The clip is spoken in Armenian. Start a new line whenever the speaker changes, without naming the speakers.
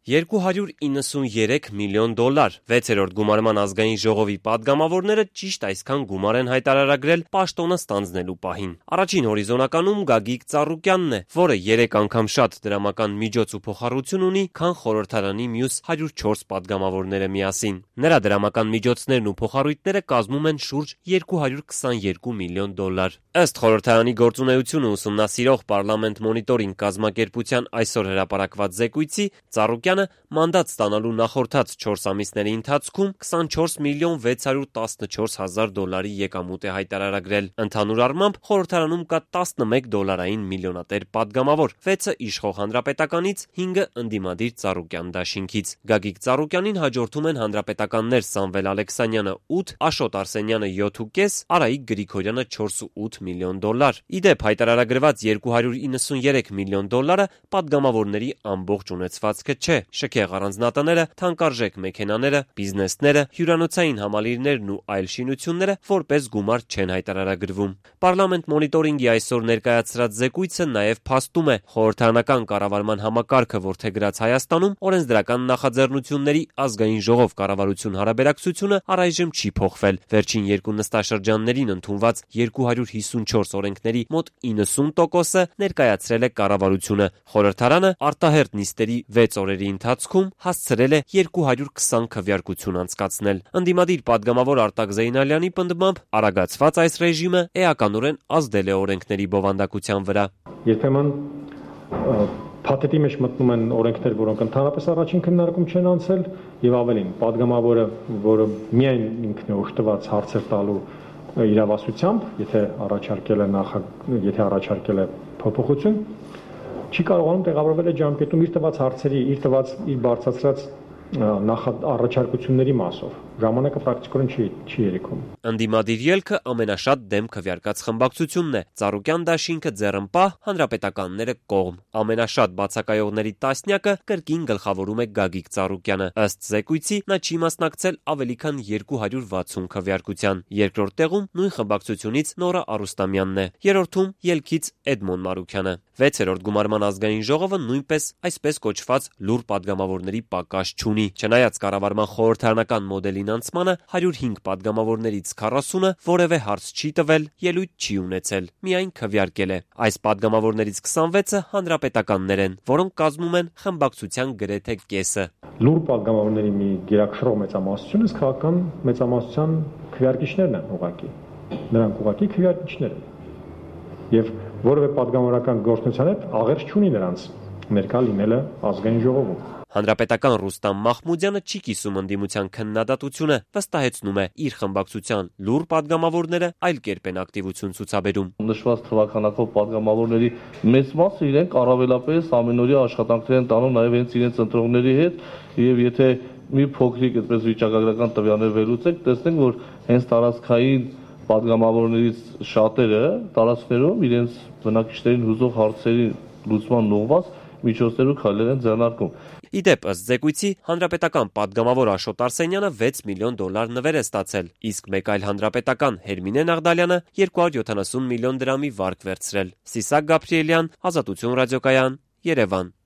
$293 միլիոն, 6-րդ գումարման ազգային ժողովի պատգամավորները ճիշտ այսքան գումար են հայտարարագրել պաշտոնը ստանձնելու պահին։ Առաջին հորիզոնականում Գագիկ Ծառուկյանն է, որը 3 անգամ շատ դրամական միջոց ու փոխառություն ունի, քան խորհրդարանի մյուս 104 պատգամավորները միասին։ Նրա դրամական միջոցներն ու փոխառույթները կազմում են շուրջ $222 միլիոն։ Ըստ խորհրդարանի գործունեությունը ուսումնասիրող Parliament Monitoring կազմակերպության այսօր հրապարակված զեկույցի, Ծառուկյանը մանդատ ստանալու նախորդած 4 ամիսների ընթացքում $24 միլիոն 614 հազար եկամուտ է հայտարարագրել։ Ընդհանուր առմամբ խորհրդարանում կա 11 դոլարային միլիոնատեր պատգամավոր, 6-ը իշխող հանրապետականից, 5-ը ընդդիմադիր Ծառուկյան դաշինքից։ Գագիկ Ծառուկյանին հաջորդում են հանրապետականներ Սամվել Ալեքսանյանը 8, Աշոտ Արսենյանը 7.5, Արայիկ Գրիգորյանը 4.8 միլիոն դոլար։ Իդեպ հայտարարագրված $293 միլիոն պատգամավորների ամբողջ ունեցվածքը չէ։ Շքեղ առանձնատները, թանկարժեք մեքենաները, բիզնեսները, հյուրանոցային համալիրներն ու այլ շինությունները որպես գումար չեն հայտարարագրվում։ Parliament Monitoring-ի այսօր ներկայացրած զեկույցը նաև փաստում է խորհրդարանական կառավարման համակարգը որդեգրած Հայաստանում օրենսդրական նախաձեռնությունների ազգային ժողով կառավարություն հարաբերակցությունը առայժմ չի փոխվել։ Վերջին 2 նստաշրջաններին ընդունված 254 օրենքների մոտ 90%-ը ներկայացրել է կառավարությունը։ Խորհրդարանը արտահերթ նիստերի 6 օրերի ընթացքում հասցրել է 220 քվեարկություն անցկացնել։ Ընդդիմադիր պատգամավոր Արտակ Զեյնալյանի պնդմամբ արագացված այս ռեժիմը էականորեն ազդել է օրենքների բովանդակության վրա։
Երբեմն փաթեթի մեջ մտնում են օրենքներ, որոնք ընդհանրապես առաջին քննարկում չեն անցել, եւ ավելին, падգամավորը, որը միայն ինքն է օժտված հարցեր տալու իրավասությամբ, եթե առաջարկել է փոփոխություն, չի կարողանում տեղավորվել ջամփետում իր տված հարցերի, իր բարձրացրած առաջարկությունների մասով։ Ժամանակը պրակտիկորեն չի երիքում։
Ընդդիմադիր ելքը ամենաշատ դեմ քվեարկած խմբակցությունն է։ Ծառուկյան դաշինքը ձեռնպահ, հանրապետականները կողմ։ Ամենաշատ բացակայողների տասնյակը կրկին գլխավորում է Գագիկ Ծառուկյանը։ Ըստ զեկույցի նա չի մասնակցել ավելի քան 260 քվեարկության։ Երկրորդ տեղում նույն խմբակցությունից Նորա Արուստամյանն է։ Երրորդում ելքից Էդմոն Մարուքյանը։ 6-րդ գումարման ազգային ժողովը նույնպես այսպես կոչված լուր պատգամավորների պակաս չունի։ Չնայած կառավարման խորհրդարանական մոդելին անցմանը 105 պատգամավորներից 40-ը որևէ հարց չի տվել, ելույթ չի ունեցել, միայն քվեարկել է։ Այս պատգամավորներից 26-ը հանրապետականներ են, որոնք կազմում են խմբակցության գրեթե կեսը։
Լուր պատգամավորների մի գերակշռող մեծամասնությունը քաղաքական մեծամասնության քվեարկիչներն են ուղղակի։ Նրանք ուղղակի քվեարկիչներ են։ Եվ որևէ պատգամավորական գործունեության հետ աղերս չունի նրանց ներկա լինելը ազգային ժողովում։
Հանրապետական Ռուստամ Մախմուդյանը չի կիսում ընդդիմության քննադատությունը, վստահեցնում է իր խմբակցության լուր պատգամավորները այլ կերպ են ակտիվություն ցուցաբերում։
Նշված թվականակով պատգամավորների մեծ մասը իրենք առավելապես ամենօրյա աշխատանքներ են տանում նաև հենց իրենց ընտրողների հետ, եւ եթե մի փոքրիկ այդպես վիճակագրական տվյալներ վերլուծենք, տեսնենք, որ հենց տարածքային պատգամավորներից շատերը տարածքներում իրենց բնակիչներին հուզող հարցերի լուծման ուղղված միջոցներ ու քայլեր են ձեռնարկում։
Իդեպ, ըստ զեկույցի, հանրապետական պատգամավոր Աշոտ Արսենյանը $6 միլիոն նվեր է ստացել, իսկ մեկ այլ հանրապետական Հերմինե Նաղդալյանը 270 միլիոն դրամի վարկ վերցրել։ Սիսակ Գաբրիելյան, Ազատություն ռադիոկայան, Երևան։